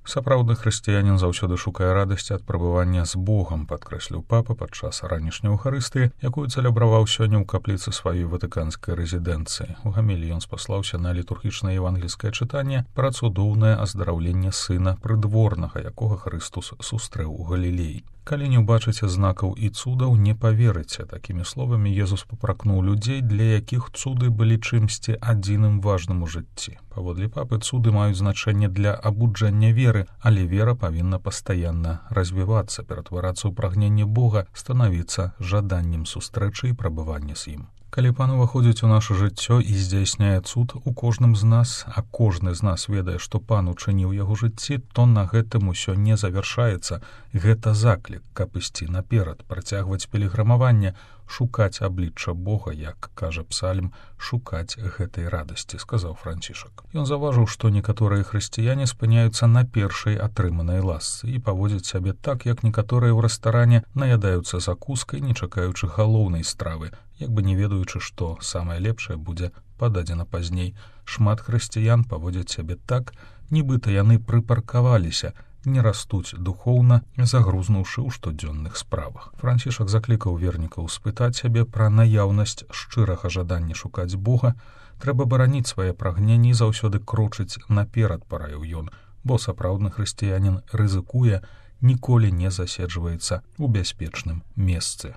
Сапраўдны хрысціянін заўсёды шукае радасці ад прабывання з Богам, падкрэсліў папа падчас ранішняй эўхарыстыі, якую цэлебраваў сёння ў капліцы сваёй ватыканскай рэзідэнцыі. У гаміліі ён спаслаўся на літургічнае евангельскае чытанне пра цудоўнае аздараўленне сына прыдворнага, якога Хрыстус сустрэў у Галілеі. Калі не ўбачыце знакаў і цудаў, не паверыце. Такімі словамі Езус папракнуў людзей, для якіх цуды былі чымсьці адзіным важным у жыцці. Паводле папы, цуды маюць значэнне для абуджання веры, але вера павінна пастаянна развівацца, ператварацца ў прагненне Бога, станавіцца жаданнем сустрэчы і прабывання з ім. Калі пан уваходзіць у наша жыццё і здзяйсняе цуд у кожным з нас, а кожны з нас ведае, што пан учыніў яго жыцці, то на гэтым усё не завяршаецца. Гэта заклік, каб ісці наперад, працягваць пілігрымаванне, шукаць аблічча Бога, як кажа псальм, шукаць гэтай радасці, сказаў Францішак. Ён заўважыў, што некаторыя хрысціяне спыняюцца на першай атрыманай ласцы і паводзяць сябе так, як некаторыя ў рэстаране наядаюцца закускай, не чакаючы галоўнай стравы, як бы не ведаючы, што самае лепшае будзе пададзена пазней. Шмат хрысціян паводзяць сябе так, нібыта яны прыпаркаваліся, не растуць духоўна, загрузнуўшы ў штодзённых справах. Францішак заклікаў вернікаў спытаць сябе пра наяўнасць шчырага жадання шукаць Бога. Трэба бараніць свае прагненні і заўсёды крочыць наперад, параіў ён, бо сапраўдны хрысціянін рызыкуе, ніколі не заседжваецца ў бяспечным месцы.